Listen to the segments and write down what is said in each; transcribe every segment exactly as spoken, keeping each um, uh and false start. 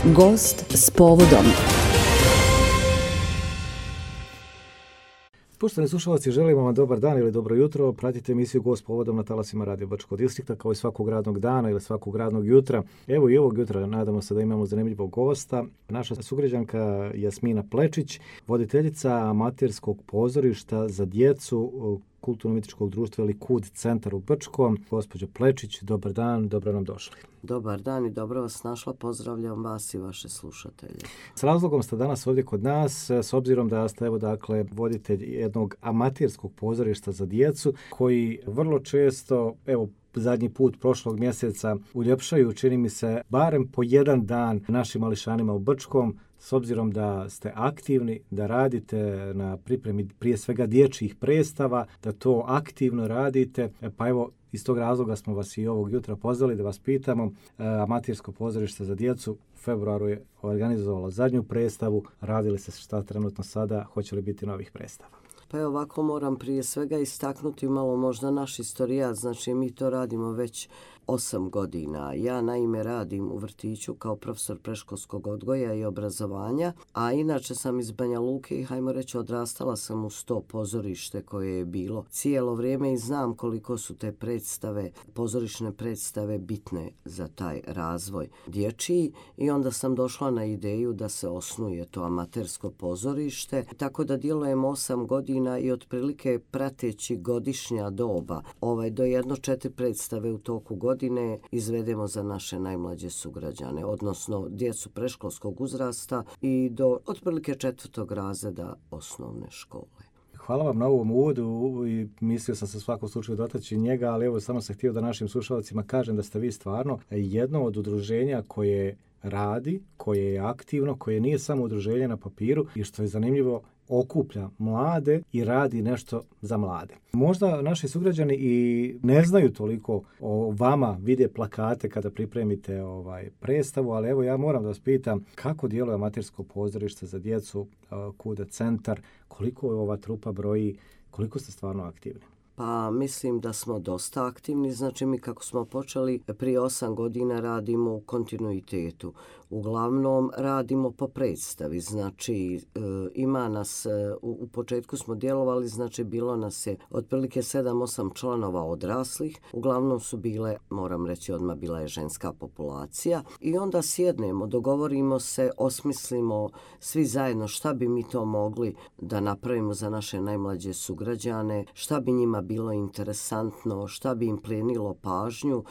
Gost s povodom. Poštovani slušalci, želimo vam dobar dan ili dobro jutro. Pratite emisiju Gost s povodom na talasima Radio Bačkog distrikta kao i svakog radnog dana ili svakog radnog jutra. Evo i ovog jutra nadamo se da imamo zanimljivog gosta. Naša sugrađanka Jasmina Plečić, voditeljica amaterskog pozorišta za djecu Kulturno-umjetničkog društva ili KUD centar u Brčkom. Gospođo Plečić, dobar dan, dobro nam došli. Dobar dan i dobro vas našla. Pozdravljam vas i vaše slušatelje. S razlogom ste danas ovdje kod nas, s obzirom da ste evo dakle voditelj jednog amaterskog pozorišta za djecu koji vrlo često, evo zadnji put prošlog mjeseca uljepšaju, čini mi se, barem po jedan dan našim mališanima u Brčkom. S obzirom da ste aktivni, da radite na pripremi prije svega dječjih predstava, da to aktivno radite, pa evo iz tog razloga smo vas i ovog jutra pozvali da vas pitamo. Amatersko pozorište za djecu u februaru je organizovalo zadnju predstavu. Radili se šta trenutno sada? Hoće li biti novih predstava? Pa evo ovako moram prije svega istaknuti malo možda naš istorijat. Znači mi to radimo već osam godina. Ja naime radim u vrtiću kao profesor predškolskog odgoja i obrazovanja, a inače sam iz Banja Luke i hajmo reći odrastala sam uz to pozorište koje je bilo cijelo vrijeme i znam koliko su te predstave, pozorišne predstave bitne za taj razvoj dječji i onda sam došla na ideju da se osnuje to amatersko pozorište. Tako da djelujem osam godina i otprilike prateći godišnja doba, ovaj, do jedno četiri predstave u toku godine godine izvedemo za naše najmlađe sugrađane, odnosno djecu predškolskog uzrasta i do otprilike četvrtog razreda osnovne škole. Hvala vam na ovom uvodu i mislio sam se u svakom slučaju dotaći njega, ali evo samo sam htio da našim slušalcima kažem da ste vi stvarno jedno od udruženja koje radi, koje je aktivno, koje nije samo udruženje na papiru i što je zanimljivo, okuplja mlade i radi nešto za mlade. Možda naši sugrađani i ne znaju toliko o vama, vide plakate kada pripremite ovaj predstavu, ali evo ja moram da vas pitam kako djeluje amatersko pozorište za djecu KUD centar, koliko ova trupa broji, koliko ste stvarno aktivni? Pa mislim da smo dosta aktivni, znači mi kako smo počeli prije osam godina radimo u kontinuitetu. Uglavnom radimo po predstavi, znači e, ima nas, e, u, u početku smo djelovali, znači bilo nas je otprilike sedam osam članova odraslih, uglavnom su bile, moram reći odmah, bila je ženska populacija i onda sjednemo, dogovorimo se, osmislimo svi zajedno šta bi mi to mogli da napravimo za naše najmlađe sugrađane, šta bi njima bilo interesantno, šta bi im plenilo pažnju.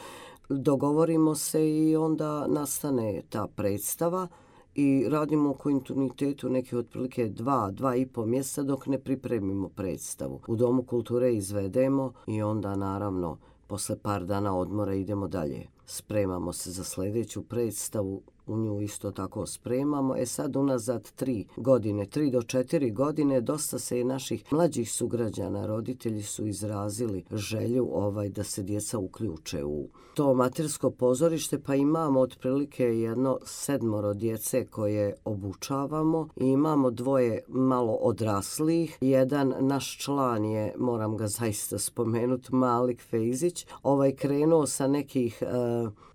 Dogovorimo se i onda nastane ta predstava i radimo u kontinuitetu neke otprilike dva, dva i po mjeseca dok ne pripremimo predstavu. U Domu kulture izvedemo i onda naravno posle par dana odmora idemo dalje. Spremamo se za sljedeću predstavu, u nju isto tako spremamo. E sad unazad tri godine, tri do četiri godine, dosta se i naših mlađih sugrađana, roditelji su izrazili želju ovaj da se djeca uključe u to amatersko pozorište, pa imamo otprilike jedno sedmoro djece koje obučavamo i imamo dvoje malo odraslih. Jedan naš član je, moram ga zaista spomenuti, Malik Fejzić, ovaj krenuo sa nekih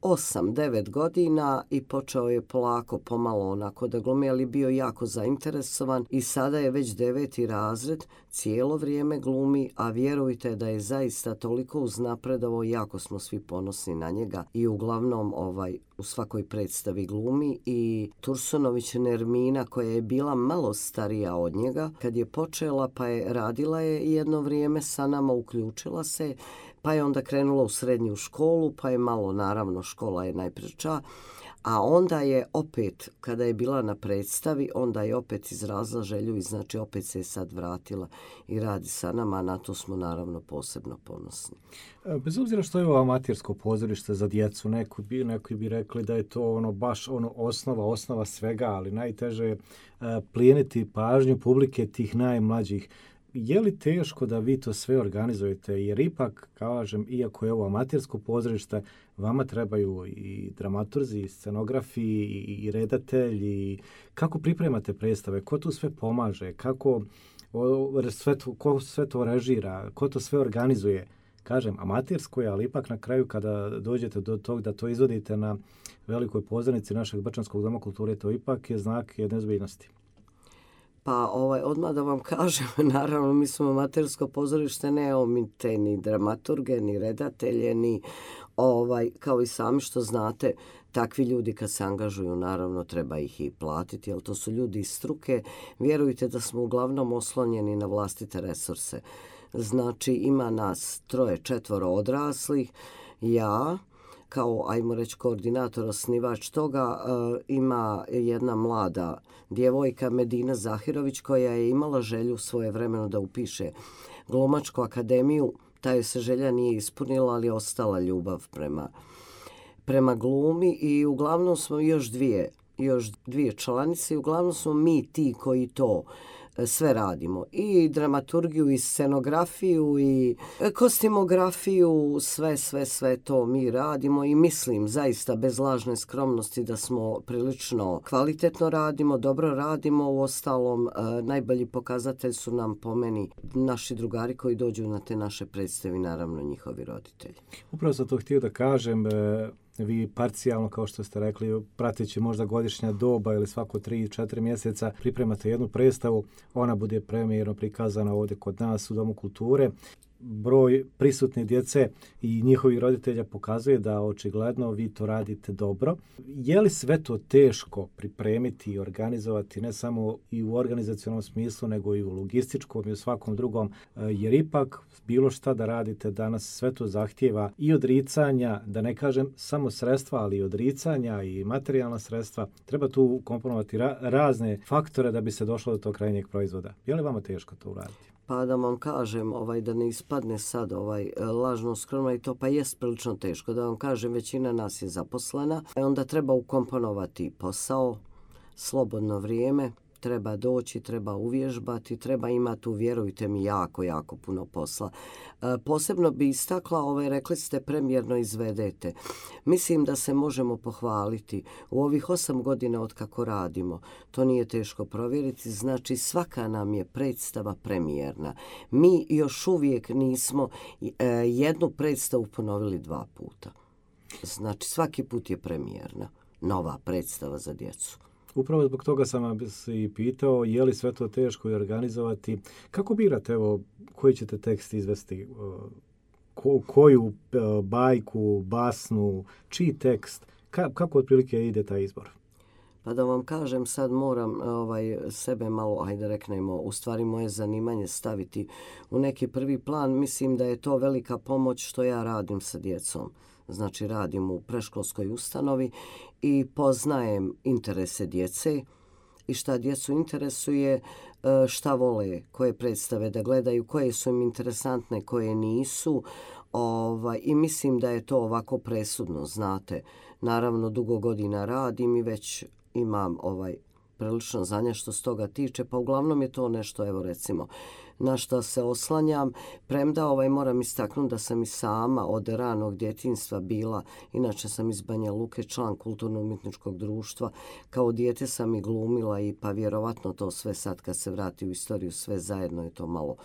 osam devet godina i počeo je polako, pomalo onako da glumi, ali bio jako zainteresovan i sada je već deveti razred, cijelo vrijeme glumi, a vjerujte da je zaista toliko uznapredovao, jako smo svi ponosni na njega i uglavnom ovaj u svakoj predstavi glumi. I Tursunović Nermina, koja je bila malo starija od njega, kad je počela pa je radila je jedno vrijeme sa nama, uključila se, pa je onda krenula u srednju školu, pa je malo, naravno, škola je najpreča, a onda je opet, kada je bila na predstavi, onda je opet izrazila želju i znači opet se je sad vratila i radi sa nama, a na to smo naravno posebno ponosni. Bez obzira što je ovo amatersko pozorište za djecu, neko bi, neki bi rekli da je to ono baš ono osnova, osnova svega, ali najteže je plijeniti pažnju publike tih najmlađih. Je li teško da vi to sve organizujete? Jer ipak, kažem, iako je ovo amatersko pozorište, vama trebaju i dramaturzi, i scenografi, i redatelji. Kako pripremate predstave? Ko tu sve pomaže? Kako sve to, ko sve to režira? Ko to sve organizuje? Kažem, amatersko je, ali ipak na kraju kada dođete do tog da to izvodite na velikoj pozornici našeg Brčanskog doma kulture, to ipak je znak jedne ozbiljnosti. Pa ovaj, odmah da vam kažem, naravno mi smo amatersko pozorište, neomite ni dramaturge, ni redatelje, ni ovaj, kao i sami što znate, takvi ljudi kad se angažuju, naravno treba ih i platiti, jer to su ljudi iz struke. Vjerujte da smo uglavnom oslonjeni na vlastite resurse. Znači ima nas troje, četvoro odraslih, ja, kao, ajmo reći, koordinator, osnivač toga, e, ima jedna mlada djevojka Medina Zahirović koja je imala želju svojevremeno da upiše Glumačku akademiju. Ta joj se želja nije ispunila, ali je ostala ljubav prema, prema glumi i uglavnom smo još dvije, još dvije članice i uglavnom smo mi ti koji to sve radimo. I dramaturgiju, i scenografiju, i kostimografiju, sve, sve, sve to mi radimo i mislim zaista bez lažne skromnosti da smo prilično kvalitetno radimo, dobro radimo. U ostalom, najbolji pokazatelj su nam po meni naši drugari koji dođu na te naše predstave, naravno njihovi roditelji. Upravo sam to htio da kažem, vi parcijalno, kao što ste rekli, prateći možda godišnja doba ili svako tri četiri mjeseca pripremate jednu predstavu, ona bude premijerno prikazana ovdje kod nas u Domu kulture. Broj prisutne djece i njihovih roditelja pokazuje da očigledno vi to radite dobro. Je li sve to teško pripremiti i organizovati, ne samo i u organizacionalnom smislu, nego i u logističkom i u svakom drugom, jer ipak bilo šta da radite danas sve to zahtijeva i odricanja, da ne kažem samo sredstva, ali i odricanja i materijalna sredstva. Treba tu komponovati ra- razne faktore da bi se došlo do tog krajnjeg proizvoda. Je li vama teško to uraditi? Pa da vam kažem, ovaj, da ne ispadne sad ovaj, lažno skromno i to, pa jest prilično teško. Da vam kažem, većina nas je zaposlena. Onda treba ukomponovati posao, slobodno vrijeme, treba doći, treba uvježbati, treba imati, tu, vjerujte mi, jako, jako puno posla. E, posebno bi istakla, ovaj, rekli ste, premijerno izvedete. Mislim da se možemo pohvaliti. U ovih osam godina od kako radimo, to nije teško provjeriti, znači svaka nam je predstava premijerna. Mi još uvijek nismo e, jednu predstavu ponovili dva puta. Znači svaki put je premijerna, nova predstava za djecu. Upravo zbog toga sam vas i pitao, je li sve to teško i organizovati. Kako birate, evo, koji ćete tekst izvesti? Ko, koju bajku, basnu, čiji tekst? Ka, kako otprilike ide taj izbor? Pa da vam kažem, sad moram ovaj, sebe malo, ajde reknemo, u stvari moje zanimanje staviti u neki prvi plan. Mislim da je to velika pomoć što ja radim sa djecom. Znači radim u predškolskoj ustanovi i poznajem interese djece i šta djecu interesuje, šta vole, koje predstave da gledaju, koje su im interesantne, koje nisu. Ovaj, I mislim da je to ovako presudno, znate. Naravno, dugo godina radim i već imam ovaj prilično znanja što s toga tiče, pa uglavnom je to nešto, evo recimo, na što se oslanjam. Premda ovaj, moram istaknuti da sam i sama od ranog djetinjstva bila, inače sam iz Banja Luke, član kulturno-umjetničkog društva. Kao dijete sam i glumila i pa vjerovatno to sve sad kad se vrati u istoriju, sve zajedno je to malo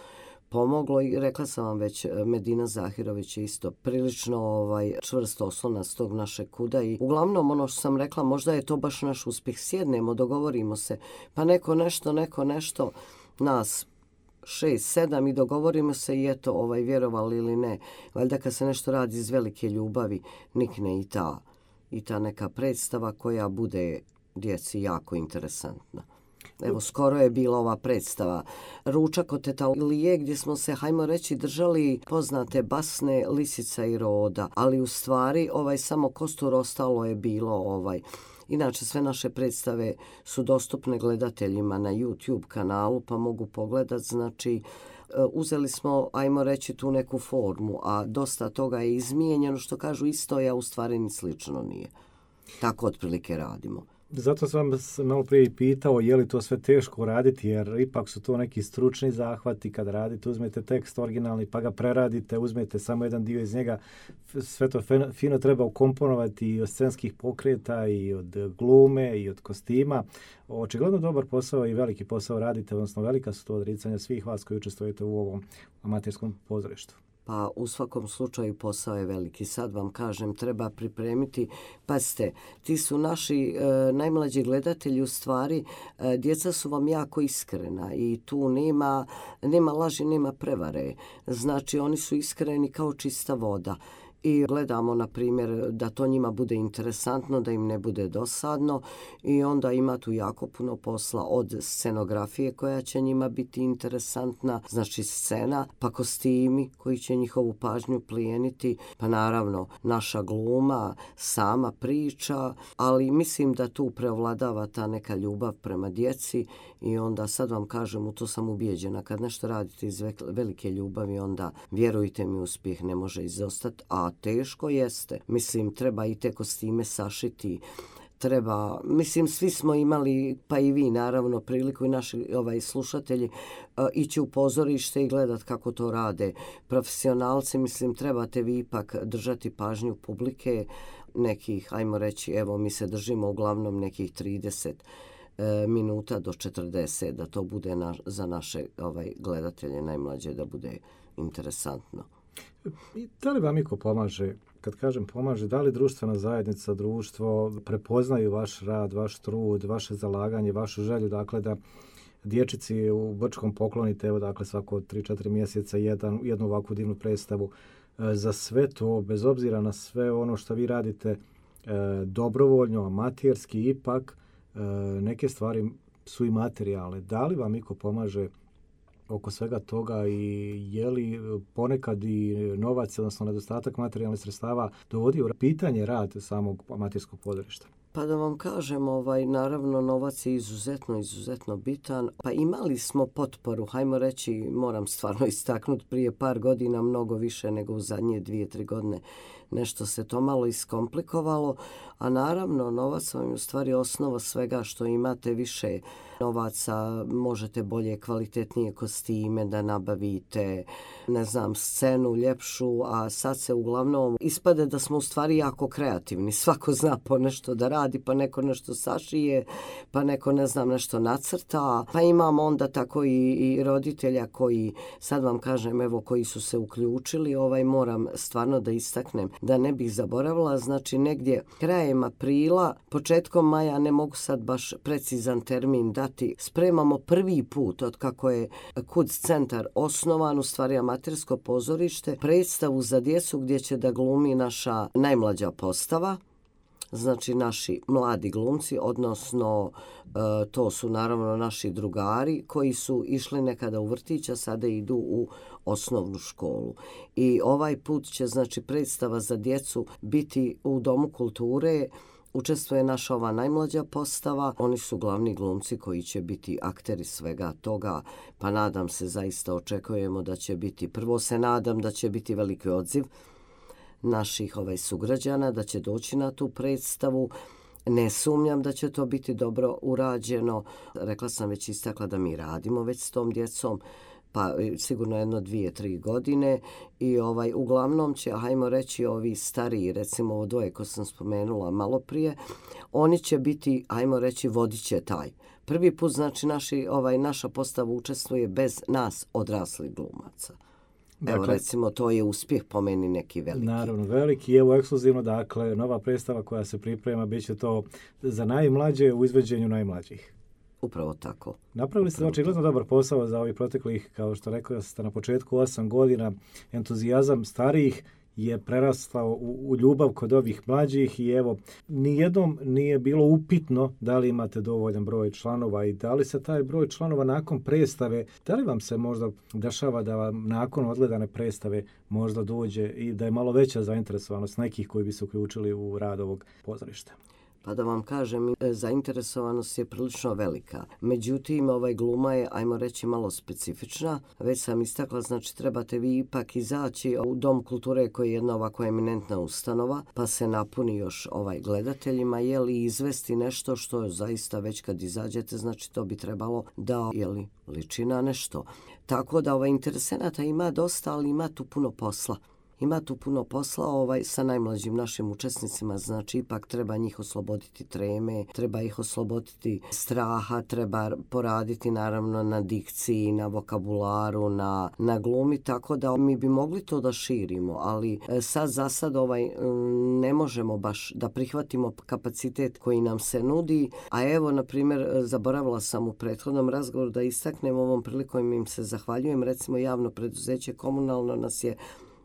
pomoglo i rekla sam vam već, Medina Zahirović je isto prilično ovaj, čvrsto oslonac tog našeg kuda i uglavnom ono što sam rekla, možda je to baš naš uspjeh. Sjednemo, dogovorimo se, pa neko nešto, neko nešto, nas šest, sedam i dogovorimo se i eto, ovaj, vjerovali ili ne. Valjda kad se nešto radi iz velike ljubavi, nikne i ta, i ta neka predstava koja bude djeci jako interesantna. Evo, skoro je bila ova predstava Ručak od teta Lije, gdje smo se, hajmo reći, držali poznate basne Lisica i Roda, ali u stvari ovaj samo kostur ostalo je bilo ovaj. Inače, sve naše predstave su dostupne gledateljima na YouTube kanalu, pa mogu pogledat. Znači, uzeli smo, ajmo reći, tu neku formu, a dosta toga je izmijenjeno, što kažu isto, a u stvari ni slično nije. Tako otprilike radimo. Zato sam vas malo prije i pitao je li to sve teško raditi, jer ipak su to neki stručni zahvati. Kad radite, uzmete tekst originalni pa ga preradite, uzmete samo jedan dio iz njega. Sve to fino treba ukomponovati i od scenskih pokreta i od glume i od kostima. Očigledno dobar posao i veliki posao radite, odnosno velika su to odricanja svih vas koji učestvujete u ovom amaterskom pozorištu. pa u svakom slučaju posao je veliki. Sad vam kažem, treba pripremiti, pazite, ti su naši e, najmlađi gledatelji, u stvari e, djeca su vam jako iskrena i tu nema, nema laži, nema prevare. Znači oni su iskreni kao čista voda. I gledamo, na primjer, da to njima bude interesantno, da im ne bude dosadno i onda ima tu jako puno posla od scenografije koja će njima biti interesantna, znači scena, pa kostimi koji će njihovu pažnju plijeniti, pa naravno naša gluma, sama priča, ali mislim da tu preovladava ta neka ljubav prema djeci i onda sad vam kažem, u to sam ubijeđena, kad nešto radite iz velike ljubavi, onda vjerujte mi, uspjeh ne može izostati, a teško jeste. Mislim, treba i te kostime sašiti, treba, mislim, svi smo imali, pa i vi naravno, priliku i naši ovaj, slušatelji, uh, ići u pozorište i gledat kako to rade profesionalci. Mislim, trebate vi ipak držati pažnju publike nekih, ajmo reći, evo, mi se držimo uglavnom nekih trideset minuta do četrdeset, da to bude na, za naše ovaj, gledatelje najmlađe da bude interesantno. I da li vam iko pomaže? Kad kažem pomaže, da li društvena zajednica, društvo prepoznaju vaš rad, vaš trud, vaše zalaganje, vašu želju, dakle da dječici u Brčkom poklonite, evo dakle svako tri četiri mjeseca jedan, jednu ovakvu divnu predstavu. Za sve to, bez obzira na sve ono što vi radite dobrovoljno, amaterski, ipak neke stvari su i materijalne. Da li vam iko pomaže oko svega toga i je li ponekad i novac, odnosno nedostatak materijalnih sredstava dovodi u pitanje rad samog amaterskog pozorišta? Pa da vam kažem, ovaj, naravno novac je izuzetno, izuzetno bitan. Pa imali smo potporu, hajmo reći, moram stvarno istaknuti, prije par godina mnogo više nego u zadnje dvije, tri godine. Nešto se to malo iskomplikovalo, a naravno novac vam je u stvari osnova svega, što imate više novaca, možete bolje, kvalitetnije kostime da nabavite, ne znam, scenu ljepšu, a sad se uglavnom ispade da smo u stvari jako kreativni. Svako zna po nešto da radi, pa neko nešto sašije, pa neko, ne znam, nešto nacrta, pa imamo onda tako i, i roditelja koji, sad vam kažem, evo, koji su se uključili, ovaj, moram stvarno da istaknem, da ne bih zaboravila, znači negdje krajem aprila, početkom maja, ne mogu sad baš precizan termin dati, spremamo prvi put od kako je Kuc centar osnovan, u stvari amatersko pozorište, predstavu za djecu gdje će da glumi naša najmlađa postava, znači naši mladi glumci, odnosno e, to su naravno naši drugari koji su išli nekada u vrtić, a sada idu u osnovnu školu. I ovaj put će, znači, predstava za djecu biti u Domu kulture. Učestvuje naša ova najmlađa postava. Oni su glavni glumci koji će biti akteri svega toga, pa nadam se, zaista očekujemo da će biti, prvo se nadam da će biti veliki odziv naših ovaj sugrađana, da će doći na tu predstavu. Ne sumnjam da će to biti dobro urađeno. Rekla sam, već istakla da mi radimo već s tom djecom, pa sigurno jedno dvije, tri godine i ovaj uglavnom će, hajmo reći, ovi stariji, recimo ovo dvoje ko sam spomenula malo prije, oni će biti, hajmo reći, vodit će taj. Prvi put, znači, naši, ovaj, naša postava učestvuje bez nas odraslih glumaca. Dakle, evo, recimo, to je uspjeh po meni neki veliki. Naravno, veliki. Evo, ekskluzivno, dakle, nova predstava koja se priprema, bit će to za najmlađe u izvođenju najmlađih. Upravo tako. Napravili ste očigledno dobar posao za ovih proteklih, kao što rekao ste na početku, osam godina. Entuzijazam starijih je prerastao u, u ljubav kod ovih mlađih i evo, nijednom nije bilo upitno da li imate dovoljan broj članova i da li se taj broj članova nakon predstave, da li vam se možda dešava da vam nakon odgledane predstave možda dođe i da je malo veća zainteresovanost nekih koji bi se uključili u rad ovog pozorišta? Pa da vam kažem, zainteresovanost je prilično velika. Međutim, ovaj gluma je, ajmo reći, malo specifična. Već sam istakla, znači trebate vi ipak izaći u Dom kulture koji je jedna ovako eminentna ustanova, pa se napuni još ovaj gledateljima, jeli izvesti nešto što je zaista već kad izađete, znači to bi trebalo da, jeli, liči na nešto. Tako da ovaj interesenata ima dosta, ali ima tu puno posla. ima tu puno posla ovaj, sa najmlađim našim učesnicima, znači ipak treba njih osloboditi treme, treba ih osloboditi straha, treba poraditi naravno na dikciji, na vokabularu, na, na glumi, tako da mi bi mogli to da širimo, ali sad za sad ovaj, ne možemo baš da prihvatimo kapacitet koji nam se nudi, a evo, na primjer, zaboravila sam u prethodnom razgovoru da istaknem ovom prilikom im se zahvaljujem, recimo javno preduzeće komunalno nas je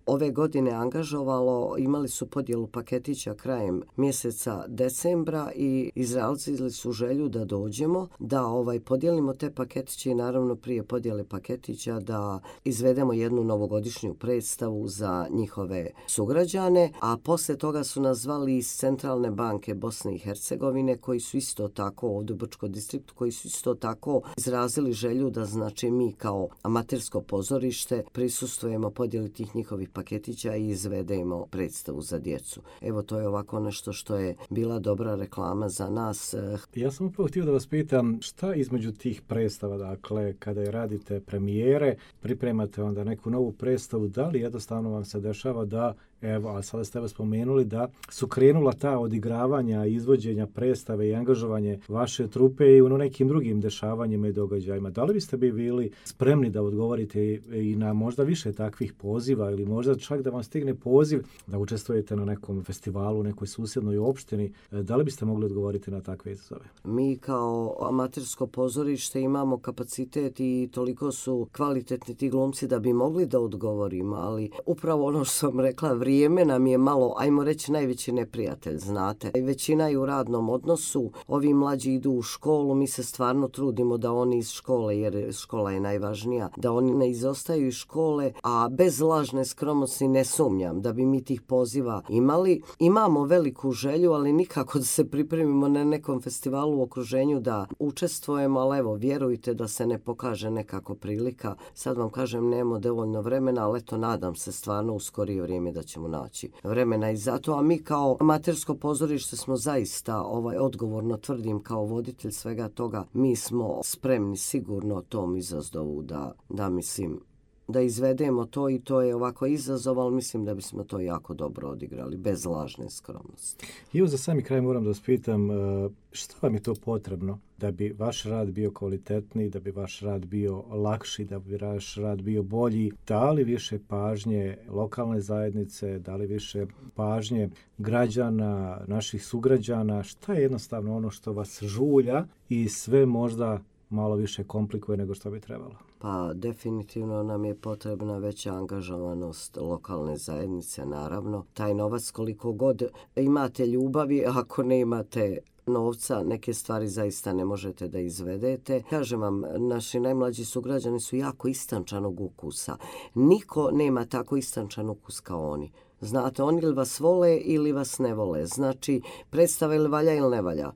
ove godine angažovalo, imali su podjelu paketića krajem mjeseca decembra i izrazili su želju da dođemo, da ovaj podijelimo te paketiće i naravno prije podjele paketića da izvedemo jednu novogodišnju predstavu za njihove sugrađane, a posle toga su nas zvali iz Centralne banke Bosne i Hercegovine koji su isto tako ovdje u Brčkom distriktu, koji su isto tako izrazili želju da znači mi kao amatersko pozorište prisustvujemo podjeli tih njihovih paketića i izvedemo predstavu za djecu. Evo, to je ovako nešto što je bila dobra reklama za nas. Ja sam upravo htio da vas pitam šta između tih predstava, dakle, kada je radite premijere, pripremate onda neku novu predstavu, da li jednostavno vam se dešava da, evo, a sada ste vas spomenuli da su krenula ta odigravanja, izvođenja predstave i angažovanje vaše trupe i u nekim drugim dešavanjima i događajima. Da li biste bi bili spremni da odgovorite i na možda više takvih poziva ili možda čak da vam stigne poziv da učestvujete na nekom festivalu u nekoj susjednoj opštini? Da li biste mogli odgovoriti na takve izazove? Mi kao amatersko pozorište imamo kapacitet i toliko su kvalitetni ti glumci da bi mogli da odgovorimo, ali upravo ono što sam rekla, vrijeme nam je malo, ajmo reći, najveći neprijatelj, znate. Većina je u radnom odnosu, ovi mlađi idu u školu, mi se stvarno trudimo da oni iz škole, jer škola je najvažnija, da oni ne izostaju iz škole, a bez lažne skromnosti ne sumnjam da bi mi tih poziva imali. Imamo veliku želju, ali nikako da se pripremimo na nekom festivalu u okruženju da učestvujemo, ali evo, vjerujte da se ne pokaže nekako prilika. Sad vam kažem, nemamo dovoljno vremena, ali eto, nadam se stvarno u skorije vrijeme da ćemo naći vremena i zato, a mi kao amatersko pozorište smo zaista, ovaj, odgovorno tvrdim kao voditelj svega toga, mi smo spremni sigurno tom izazovu da, da mislim, da izvedemo to i to je ovako izazov, ali mislim da bismo to jako dobro odigrali, bez lažne skromnosti. I evo za sami kraj moram da vas pitam, što vam je to potrebno da bi vaš rad bio kvalitetniji, da bi vaš rad bio lakši, da bi vaš rad bio bolji? Da li više pažnje lokalne zajednice, da li više pažnje građana, naših sugrađana? Šta je jednostavno ono što vas žulja i sve možda malo više komplikuje nego što bi trebalo? Pa definitivno nam je potrebna veća angažovanost lokalne zajednice, naravno. Taj novac, koliko god imate ljubavi, ako ne imate novca, neke stvari zaista ne možete da izvedete. Kažem vam, naši najmlađi sugrađani su jako istančanog ukusa. Niko nema tako istančan ukus kao oni. Znate, oni ili vas vole ili vas ne vole. Znači, predstava ili valja ili ne valja.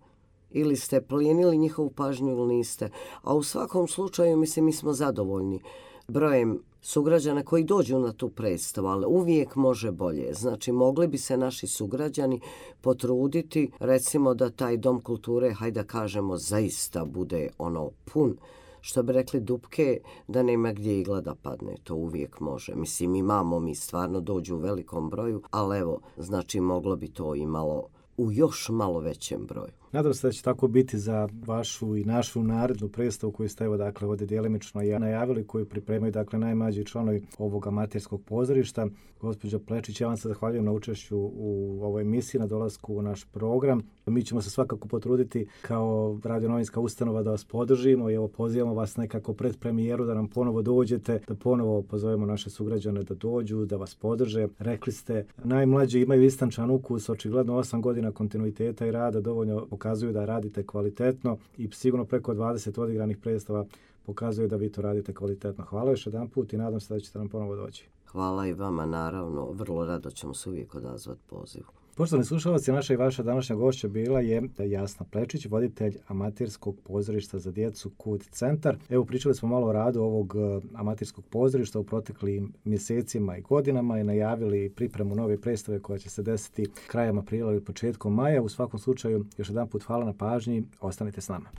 Ili ste plijenili njihovu pažnju ili niste. A u svakom slučaju, mislim, mi smo zadovoljni brojem sugrađana koji dođu na tu predstavu, ali uvijek može bolje. Znači, mogli bi se naši sugrađani potruditi, recimo da taj dom kulture, hajde da kažemo, zaista bude ono pun, što bi rekli dupke, da nema gdje igla da padne. To uvijek može. Mislim, imamo, mi stvarno dođu u velikom broju, ali evo, znači, moglo bi to i malo, u još malo većem broju. Nadam se da će tako biti za vašu i našu narednu predstavu koju ste evo dakle ovdje djelimično najavili, koju pripremaju dakle najmlađi članovi ovog amaterskog pozorišta. Gospođo Plečić, ja vam se zahvaljujem na učešću u ovoj emisiji, na dolasku u naš program. Mi ćemo se svakako potruditi kao radionovinska ustanova da vas podržimo i evo pozivamo vas nekako pred premijeru da nam ponovo dođete, da ponovo pozovemo naše sugrađane da dođu, da vas podrže. Rekli ste, najmlađi imaju istančan ukus, očigledno osam godina kontinuiteta i rada dovoljno pokazuju da radite kvalitetno i sigurno preko dvadeset odigranih predstava pokazuju da vi to radite kvalitetno. Hvala još jedan put i nadam se da ćete nam ponovo doći. Hvala i vama, naravno. Vrlo rado ćemo se uvijek odazvati pozivu. Poštovani slušalci, naša i vaša današnja gošća bila je Jasna Plečić, voditelj amaterskog pozorišta za djecu Kut centar. Evo, pričali smo malo o radu ovog amaterskog pozorišta u proteklim mjesecima i godinama i najavili pripremu nove predstave koja će se desiti krajem aprila ili početkom maja. U svakom slučaju, još jedan put hvala na pažnji, ostanite s nama.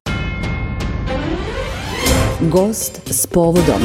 Gost s povodom.